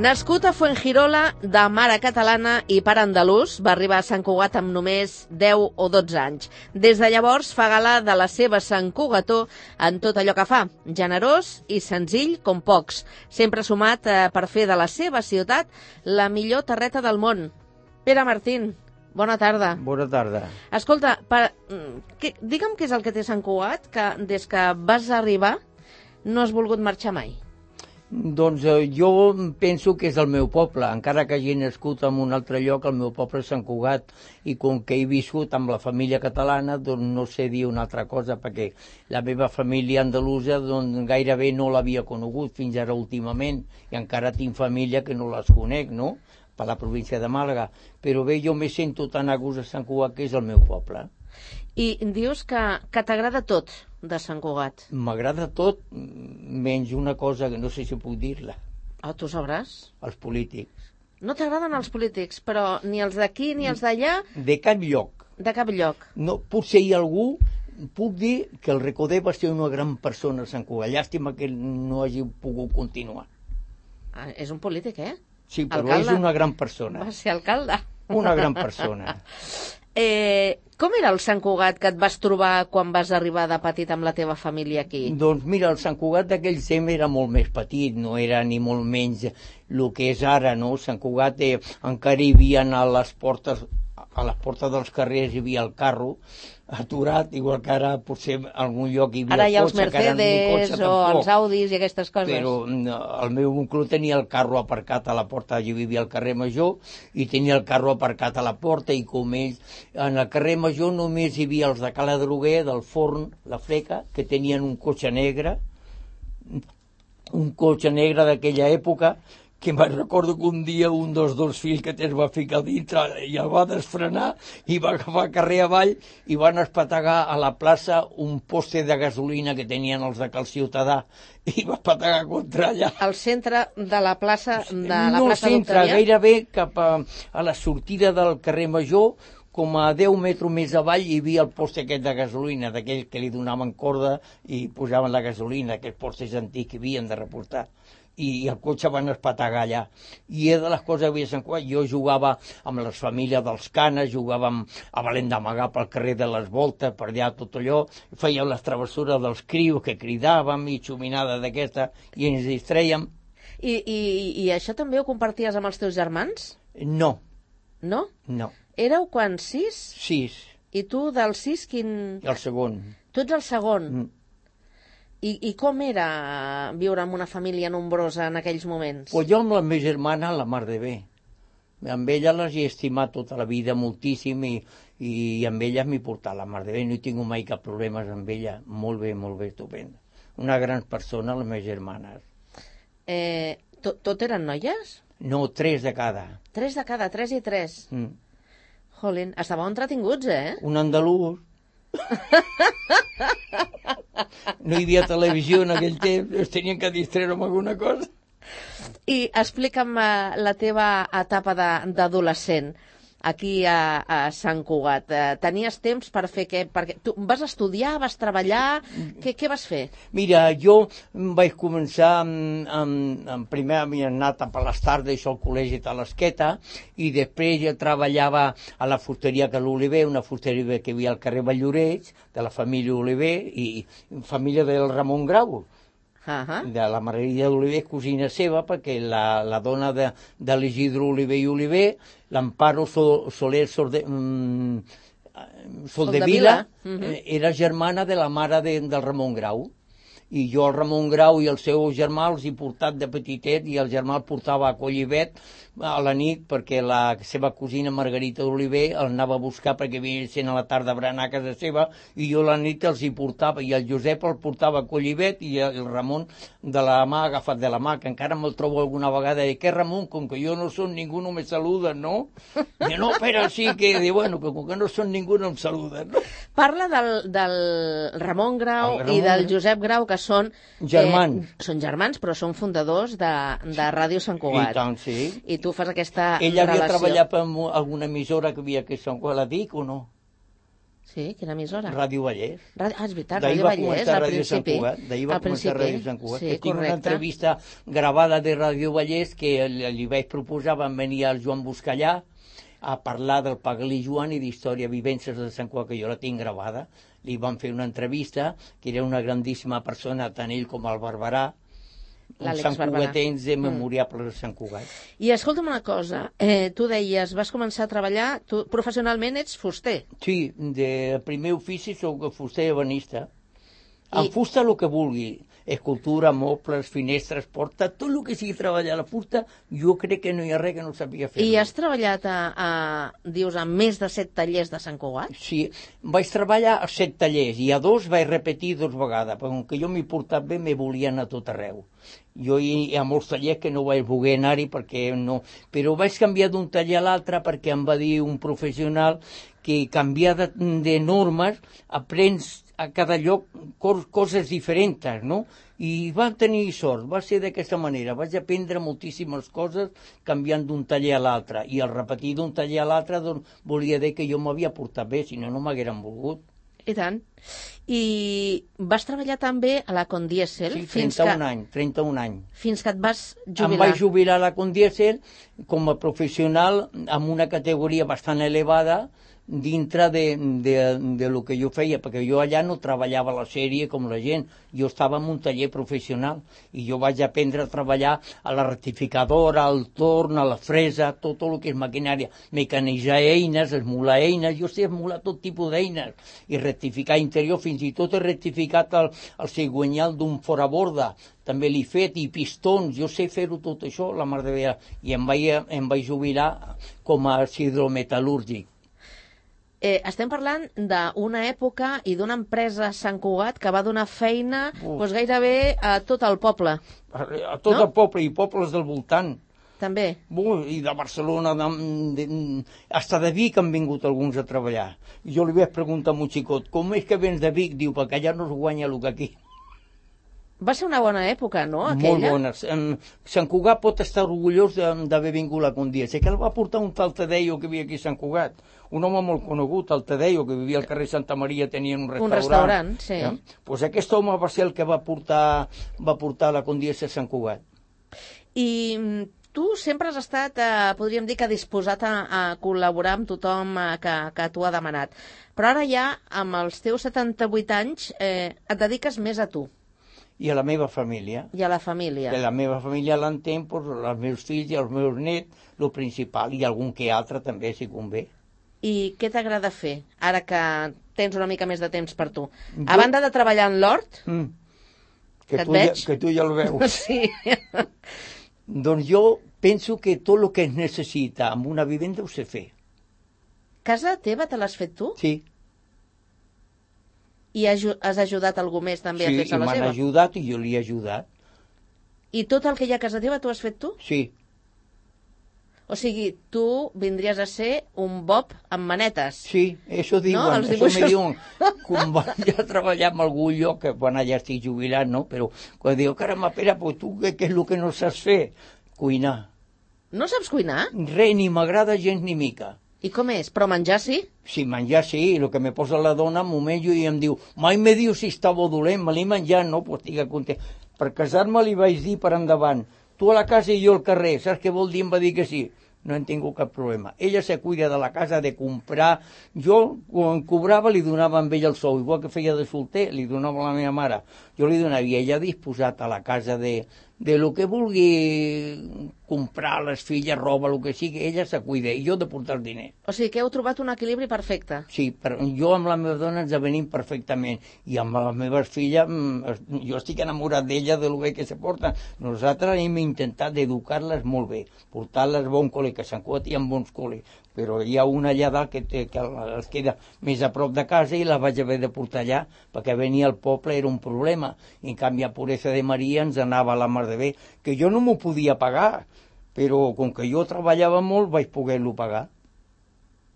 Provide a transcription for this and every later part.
Nascut a Fuengirola, de mare catalana i pare andalús, va arribar a Sant Cugat amb només 10 o 12 anys. Des de llavors fa gala de la seva Sant Cugató en tot allò que fa, generós i senzill com pocs, sempre sumat per fer de la seva ciutat la millor terreta del món. Pere Martín, bona tarda. Bona tarda. Escolta, digue'm què és el que té Sant Cugat, que des que vas arribar no has volgut marxar mai. Doncs jo penso que és el meu poble, encara que hagi nascut en un altre lloc, el meu poble és Sant Cugat, i com que he viscut amb la família catalana, doncs no sé dir una altra cosa, perquè la meva família andalusa doncs, gairebé no l'havia conegut fins ara últimament, i encara tinc família que no les conec, no?, per la província de Màlaga. Però bé, jo me sento tan a gust a Sant Cugat, que és el meu poble. I dius que t'agrada tot de Sant Cugat. M'agrada tot, menys una cosa que no sé si puc dir-la. Oh, tu sabràs. Els polítics. No t'agraden els polítics, però ni els d'aquí ni els d'allà? De cap lloc. De cap lloc. No, potser hi ha algú, puc dir que el Recoder va ser una gran persona a Sant Cugat. Llàstima que no hagi pogut continuar. Ah, és un polític, eh? Sí, però alcalde. És una gran persona. Va ser alcalde. Una gran persona. Com era el Sant Cugat que et vas trobar quan vas arribar de petit amb la teva família aquí? Doncs mira, el Sant Cugat d'aquell temps era molt més petit, no era ni molt menys el que és ara, no? Sant Cugat encara hi havia a les portes dels carrers hi havia el carro aturat, igual que ara potser en algun lloc hi havia ara hi ha els cotxe, Mercedes o els Audis i aquestes coses. Però el meu oncle tenia el carro aparcat a la porta, allà vivia al carrer Major, i tenia el carro aparcat a la porta, i com ells, en el carrer Major només hi havia els de Cala Droguer, del Forn, la Fleca, que tenien un cotxe negre d'aquella època, que me'n recordo que un dia un dels dos fills que tens va ficar dintre i el va desfrenar i va agafar carrer avall i van espetegar a la plaça un poste de gasolina que tenien els de Cal Ciutadà i va espetegar contra allà. Al centre de la plaça No al centre, gairebé cap a la sortida del carrer Major, com a 10 metres més avall hi havia el poste aquest de gasolina, d'aquells que li donaven corda i posaven la gasolina, aquests postes antics que havien de reportar. I el cotxe van espetegar allà. I és de les coses que havia Sant Cugat. Jo jugava amb les famílies dels Canes, jugàvem a Valent d'Amagar pel carrer de les Voltes, per allà tot allò, fèiem les travessures dels crios que cridàvem i xuminada d'aquesta, i ens distrèiem. I això també ho comparties amb els teus germans? No. No? No. Éreu quan 6? 6. I tu del 6 quin? El segon. Tu ets el segon? I com era viure amb una família nombrosa en aquells moments? Pues jo amb la meva germana la mar de bé. Amb ella les he estimat tota la vida moltíssim i amb ella m'he portat la mar de bé. No he tingut mai cap problema amb ella. Molt bé, estupenda. Una gran persona, les meves germanes. Tot eren noies? No, 3 de cada. 3 de cada, 3 i 3. Jolín, estàveu entretinguts, eh? Un andalús. No hi havia televisió en aquell temps, es tenien que distreure amb alguna cosa. I explica'm la teva etapa d'adolescent aquí a Sant Cugat. Tenies temps per fer què? Perquè tu vas estudiar, vas treballar, què vas fer? Mira, jo vaig començar primer havia anat per les tardes al col·legi de l'Esqueta i després jo treballava a la fusteria que l'Oliver, una fusteria que hi havia al carrer Valloreig, de la família Oliver i família del Ramon Grau. De la Margarida d'Oliver, cosina seva, perquè la dona de l'Isidre Oliver i Oliver, l'Amparo Soler Soldevila, era germana de la mare del Ramon Grau. I jo el Ramon Grau i el seu germà els he portat de petitet i el germà el portava a Collivet a la nit perquè la seva cosina Margarita d'Oliver el anava a buscar perquè havia sent a la tarda a berenar a casa seva i jo a la nit els hi portava i el Josep el portava a Collivet i el Ramon de la mà, agafat de la mà, que encara me'l trobo alguna vegada i què Ramon, com que jo no som ningú no me saluden, no? I no, però sí que, bueno, com que no som ningú no em saluden, no? Parla del Ramon Grau i del Josep Grau, que són germans. Són germans, però són fundadors de Ràdio Sant Cugat. I tant, sí. I tu fas aquesta Ella relació. havia treballat per alguna emissora que havia aquí a Sant Cugat, la dic o no? Sí, quina emissora? Ràdio Vallès. És veritat, Ràdio Vallès, al principi. D'ahir va començar Ràdio Sant Cugat. Sí, Tinc una entrevista gravada de Ràdio Vallès que li vaig proposar, van venir el Joan Buscallà a parlar del Pagalí Joan i d'història vivències de Sant Cugat, que jo la tinc gravada. Li van fer una entrevista, que era una grandíssima persona, tant ell com el Barberà, uns santcugatens memoriables de Sant Cugat. I escolta'm una cosa, tu deies, vas començar a treballar, tu professionalment ets fuster. Sí, de primer ofici soc fuster i ebenista. En fusta el que vulgui, escultura, mobles, finestres, porta, tot el que sigui treballar a la fusta, jo crec que no hi ha res que no sabia fer. I has treballat dius, a més de 7 tallers de Sant Cugat? Sí, vaig treballar a 7 tallers i a 2 vaig repetir 2 vegades, perquè com que jo m'he portat bé, me volien a tot arreu. Jo hi ha molts tallers que no vaig voler anar-hi perquè no... Però vaig canviar d'un taller a l'altre perquè em va dir un professional que canviar de normes aprens a cada lloc coses diferents, no? I va tenir sort, va ser d'aquesta manera. Vaig aprendre moltíssimes coses canviant d'un taller a l'altre. I al repetir d'un taller a l'altre doncs, volia dir que jo m'havia portat bé, si no, no m'hagueren volgut. I tant. I vas treballar també a la Condiesel? Sí, 31 anys. Fins que et vas jubilar. Em vaig jubilar a la Condiesel com a professional amb una categoria bastant elevada dintre de lo que jo feia, perquè jo allà no treballava a la sèrie com la gent, jo estava en un taller professional i jo vaig aprendre a treballar a la rectificadora, al torn, a la fresa, tot el que és maquinària, mecanitzar eines, esmolar eines, jo sé esmolar tot tipus d'eines i rectificar interior, fins i tot he rectificat el cigüenyal d'un foraborda, també l'he fet, i pistons, jo sé fer-ho tot això, la mar de bé, i em vaig jubilar com a hidrometal·lúrgic. Estem parlant d'una època i d'una empresa a Sant Cugat que va donar feina gairebé a tot el poble. A tot el poble i pobles del voltant. També. I de Barcelona, hasta de Vic han vingut alguns a treballar. Jo li vaig preguntar a un xicot, com és que vens de Vic? Diu, perquè allà no es guanya el que aquí. Va ser una bona època, no, aquella? Molt bona. Sant Cugat pot estar orgullós d'haver vingut a Condiesel, que el va portar un tal Tadeo que vivia aquí a Sant Cugat, un home molt conegut, el Tadeo, que vivia al carrer Santa Maria, tenia un restaurant. Un restaurant, sí. Doncs aquest home va ser el que va portar la Condiesel a Sant Cugat. I tu sempre has estat, podríem dir, que disposat a col·laborar amb tothom que t'ho ha demanat. Però ara ja, amb els teus 78 anys, et dediques més a tu. I a la meva família. I a la família. Que la meva família l'entén, els meus fills i els meus nets, el principal, i algun que altre també, si convé. I què t'agrada fer, ara que tens una mica més de temps per tu? A banda de treballar en l'hort, que et veig... Que tu ja el veus. Sí. Doncs jo penso que tot el que es necessita amb una vivenda ho sé fer. Casa teva te l'has fet tu? Sí. I has ajudat algú més també a fer-se la seva? Sí, i m'han ajudat i jo li he ajudat. I tot el que hi ha a casa teva t'ho has fet tu? Sí. O sigui, tu vindries a ser un Bob amb manetes. Sí, això diuen, no? Això me diuen. Quan vaig a treballar en algun lloc, que quan ja estic jubilat, no? Però quan diu, caramba, Pere, però tu què és el que no saps fer? Cuinar. No saps cuinar? Res, ni m'agrada gens ni mica. I com és? Però menjar sí? Sí, menjar sí, el que me posa la dona m'ho menjo i em diu, mai me diu si està bo o dolent, me l'he menjat, no? Pues estic content. Per casar-me li vaig dir per endavant, tu a la casa i jo al carrer, saps què vol dir? Em va dir que sí. No en tinc cap problema. Ella se cuida de la casa, de comprar. Jo, quan cobrava, li donava amb ell el sou. Igual que feia de solter, li donava a la meva mare. Jo li donava, i ella disposat a la casa de lo que vulgui comprar, les filles, roba, el que sigui, ella se cuida, i jo de portar el diner. O sigui que heu trobat un equilibri perfecte. Sí, jo amb la meva dona ens avenim perfectament, i amb les meves filles, jo estic enamorat d'ella, de lo bé que se porta. Nosaltres hem intentat educar-les molt bé, portar-les a bon col·le, que Sant Cugat hi ha bons col·les, però hi ha una allà dalt que es queda més a prop de casa i la vaig haver de portar allà, perquè venir al poble era un problema. En canvi, a Puresa de Maria ens anava a la mar de bé, que jo no m'ho podia pagar, però com que jo treballava molt vaig poder-lo pagar.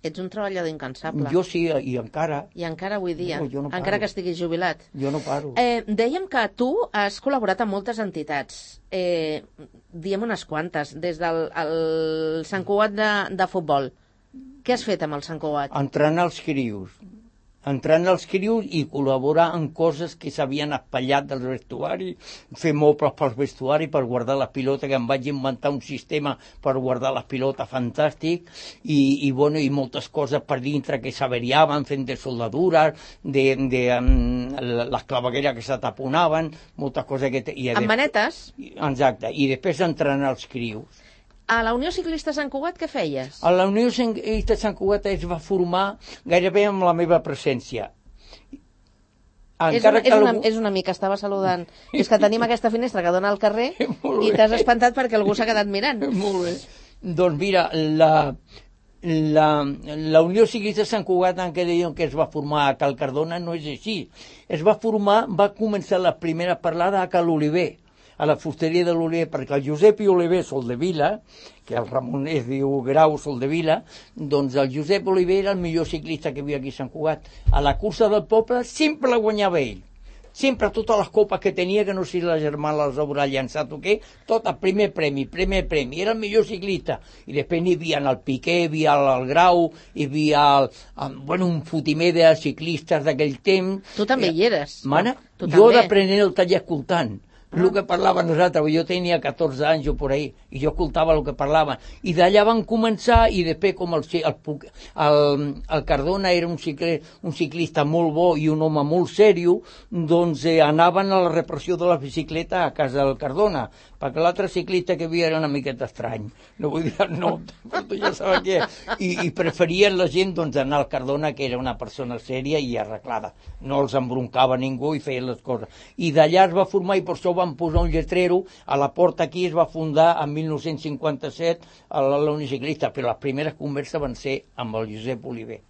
Ets un treballador incansable. Jo sí, i encara. I encara avui dia, no encara que estiguis jubilat. Jo no paro. Dèiem que tu has col·laborat amb moltes entitats. Diem unes quantes, des del Sant Cugat de futbol. Què has fet amb el Sant Cugat? Entrenar els crios. entrant als crius i col·laborar en coses que s'havien espatllat del vestuari, fer mobles pel vestuari per guardar les pilotes, que em vaig inventar un sistema per guardar les pilotes fantàstic, i moltes coses per dintre que s'averiaven, fent de soldadures, les clavegueres que se taponaven, moltes coses que... Amb manetes? Exacte, i després entrant als crius. A la Unió Ciclista Sant Cugat què feies? A la Unió Ciclista Sant Cugat es va formar gairebé amb la meva presència. És un amic que estava saludant. És que tenim aquesta finestra que dona al carrer i t'has espantat perquè algú s'ha quedat mirant. Molt bé. Doncs mira, la Unió Ciclista Sant Cugat, en què deien que es va formar a Cal Cardona, no és així. Va començar la primera parlada a Cal Oliver, a la fusteria de l'Oliver, perquè el Josep i Oliver Soldevila, que el Ramon es diu Grau Soldevila, doncs el Josep Oliver era el millor ciclista que hi havia aquí a Sant Cugat. A la cursa del poble sempre la guanyava ell. Sempre totes les copes que tenia, que no sé si la germana les haurà llançat o què, tot el primer premi. Era el millor ciclista. I després n'hi havia el Piqué, hi havia el Grau, hi havia un fotimer de ciclistes d'aquell temps. Tu també hi eres. Mana, jo d'aprenent el taller escoltant. El que parlaven nosaltres, jo tenia 14 anys o por ahí, i jo escoltava el que parlaven. I d'allà van començar, i després com el Cardona era un ciclista molt bo i un home molt sèrio, doncs anaven a la repressió de la bicicleta a casa del Cardona, perquè l'altre ciclista que hi havia era una miqueta estrany. No vull dir el nom, però tu ja sabeu què. I preferien la gent doncs, anar al Cardona, que era una persona sèria i arreglada. No els embroncava ningú i feien les coses. I d'allà es va formar, i per això van posar un lletrero a la porta aquí. Es va fundar en 1957 a la Unió Ciclista, però les primeres converses van ser amb el Josep Oliver.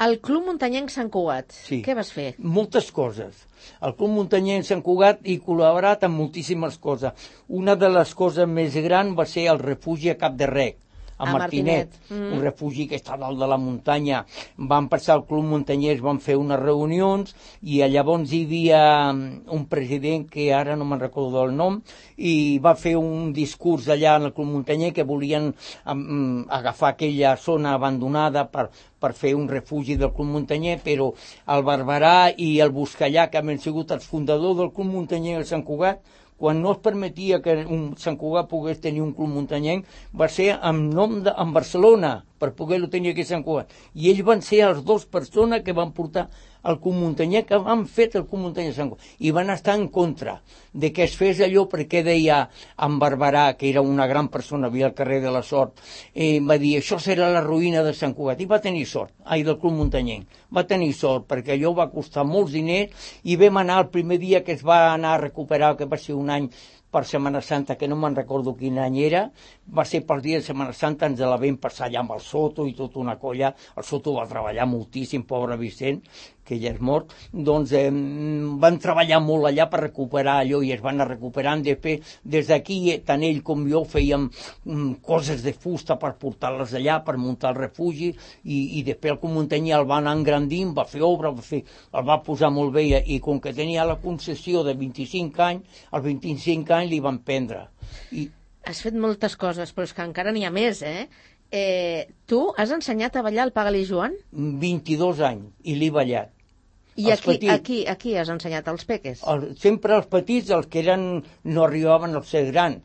El Club Muntanyenc Sant Cugat, sí. Què vas fer? Moltes coses. El Club Muntanyenc Sant Cugat hi col·laborat amb moltíssimes coses. Una de les coses més grans va ser el refugi a Cap de Rec, a Martinet. Un refugi que està dalt de la muntanya. Van passar al Club Muntanyès, van fer unes reunions, i llavors hi havia un president que ara no me'n recordo del nom, i va fer un discurs allà en el Club Muntanyer que volien agafar aquella zona abandonada per fer un refugi del Club Muntanyer, però el Barberà i el Buscallà, que han sigut els fundadors del Club Muntanyer de Sant Cugat, quan no es permetia que Sant Cugat pogués tenir un club muntanyenc, va ser en Barcelona, per poder-lo tenir aquí a Sant Cugat. I ells van ser les dues persones que van portar el Club Muntanyenc, que han fet el Club Muntanyenc de Sant Cugat. I van estar en contra de que es fes allò, perquè deia en Barberà, que era una gran persona, havia al carrer de la Sort, va dir, això serà la ruïna de Sant Cugat. I va tenir sort, del Club Muntanyenc. Va tenir sort, perquè allò va costar molts diners, i vam anar el primer dia que es va anar a recuperar, que va ser un any per Setmana Santa, que no me'n recordo quin any era, va ser per dia de Setmana Santa, ens la vam passar allà amb el Soto i tota una colla. El Soto va treballar moltíssim, pobre Vicent, que ja és mort. Doncs van treballar molt allà per recuperar allò, i es van anar recuperant. Després, des d'aquí, tant ell com jo fèiem coses de fusta per portar-les allà, per muntar el refugi, i després el Club Muntanyer el va anar engrandint, va fer obra, el va posar molt bé, i com que tenia la concessió de 25 anys, als 25 anys li van prendre. Has fet moltes coses, però és que encara n'hi ha més, tu has ensenyat a ballar el Pagal·li Joan? 22 anys, i l'he ballat. I aquí has ensenyat als peques? Sempre els petits, els que no arribaven a ser grans,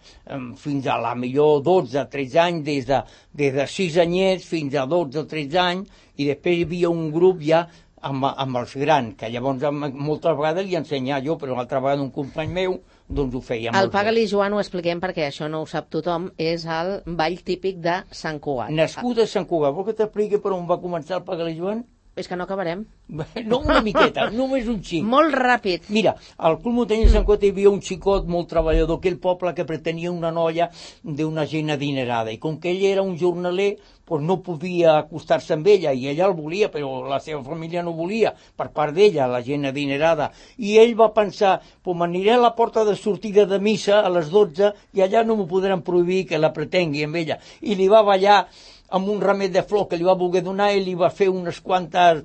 fins a la millor 12, 13 anys, des de 6 anyets fins a 12 o 13 anys, i després hi havia un grup ja amb els grans, que llavors moltes vegades li ensenyava jo, però una altra vegada un company meu doncs ho feia. El Pagal·li Joan, ho expliquem perquè això no ho sap tothom, és el ball típic de Sant Cugat. Nascut a Sant Cugat. Vol que t'expliqui per on va començar el Pagal·li Joan? És que no acabarem. No, una miqueta, només un xic. Molt ràpid. Mira, al Club Muntanyenc de Sant Cugat hi havia un xicot molt treballador, aquell poble que pretenia una noia d'una gent adinerada, i com que ell era un jornaler, doncs no podia acostar-se amb ella, i ella el volia, però la seva família no volia, per part d'ella, la gent adinerada. I ell va pensar, doncs m'aniré a la porta de sortida de missa a les 12, i allà no m'ho podran prohibir que la pretengui amb ella. I li va ballar amb un ramet de flor que li va voler donar, i li va fer unes quantes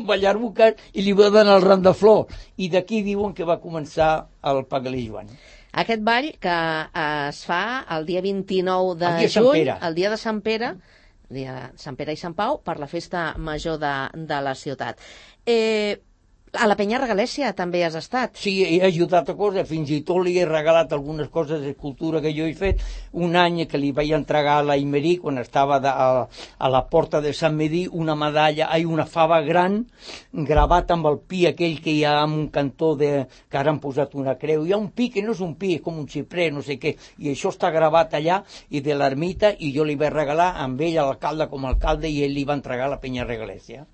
ballarbuques i li va donar el ram de flor. I d'aquí diuen que va començar el Pagal·li Joan. Aquest ball que es fa el dia 29 de juny, el dia de Sant Pere, dia de Sant Pere i Sant Pau, per la festa major de la ciutat. A la Penya Regalèssia també has estat. Sí, he ajudat a coses, fins i tot li he regalat algunes coses d'escultura que jo he fet. Un any que li vaig entregar a la Imerí, quan estava a la porta de Sant Medí, una medalla, una fava gran, gravat amb el pi aquell que hi ha en un cantó que ara han posat una creu. Hi ha un pi que no és un pi, és com un xiprer, no sé què, i això està gravat allà, i de l'ermita, i jo li vaig regalar amb ell a l'alcalde com a alcalde, i ell li va entregar a la Penya Regalèssia.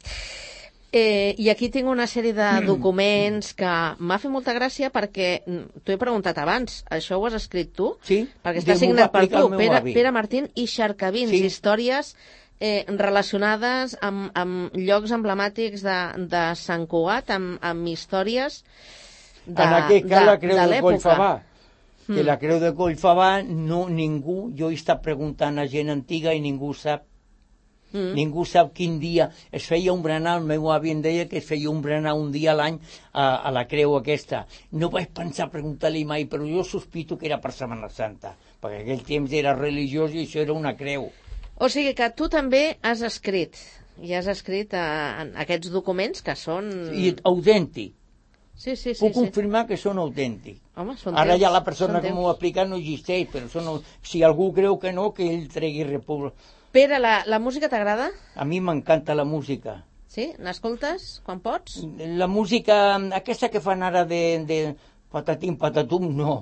I aquí tinc una sèrie de documents que m'ha fet molta gràcia perquè t'ho he preguntat abans, això ho has escrit tu? Sí. Perquè està signat per tu, Pere Martín i Xarcavins, sí. Històries relacionades amb llocs emblemàtics de Sant Cugat, amb històries de l'època. En aquest cas la creu de Collfabà. Que la creu de Collfabà ningú, jo he estat preguntant a gent antiga i ningú sap. Ningú sap quin dia es feia un berenar. El meu avi em deia que es feia un berenar un dia a l'any a la creu aquesta. No vaig pensar a preguntar-li mai, però jo sospito que era per Setmana Santa, perquè aquell temps era religiós i això era una creu. O sigui que tu també has escrit, i has escrit aquests documents que són... I autèntic. Sí. Puc confirmar que són autèntics. Home, són ara ja la persona que m'ho ha explicat no existeix, però si algú creu que no, que ell tregui república. Pere, la música t'agrada? A mi m'encanta la música. Sí? N'escoltes quan pots? La música, aquesta que fan ara de patatim, patatum, no.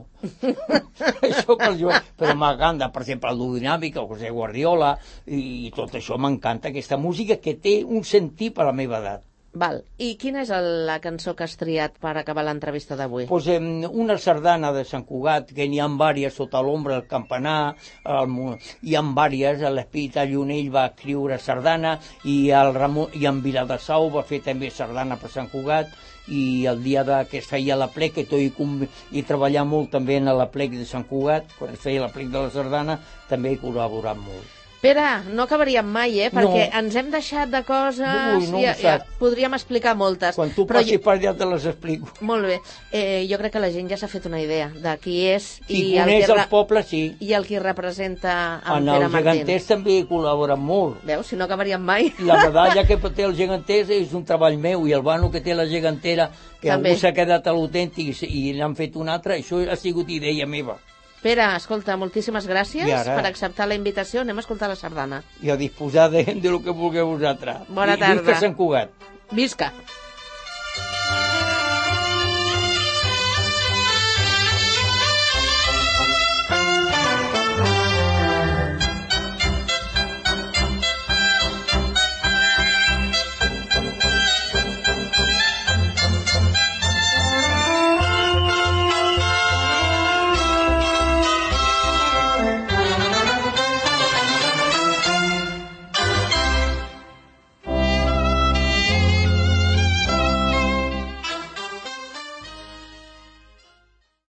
Això per jo, però m'encanta, per exemple, el Dinàmica, o José Guardiola, i tot això m'encanta, aquesta música que té un sentit per a la meva edat. Val. I quina és la cançó que has triat per acabar l'entrevista d'avui? Pues, una sardana de Sant Cugat, que n'hi ha vàries, Sota l'ombra del campanar, hi ha vàries, l'Espírit Llunell va escriure sardana, i en Viladasau va fer també sardana per Sant Cugat, i el dia que es feia l'aplec, que hi treballar molt també en l'aplec de Sant Cugat, quan es feia l'aplec de la sardana, també he col·laborat molt. Pere, no acabaríem mai, perquè ens hem deixat de coses, podríem explicar moltes. Quan tu passis per allà te les explico. Molt bé, jo crec que la gent ja s'ha fet una idea de qui és qui coneix el poble, sí. I el qui representa en Pere Martín. En els geganters també he col·laborat molt. Veus, si no acabaríem mai. La medalla que té el geganters és un treball meu, i el vano que té la gegantera, que també. Algú s'ha quedat a l'autèntic i n'han fet un altre, això ha sigut idea meva. Pere, escolta, moltíssimes gràcies per acceptar la invitació. Anem a escoltar la sardana. I a disposar de lo que vulgueu vosaltres. Bona tarda. Visca Sant Cugat. Visca.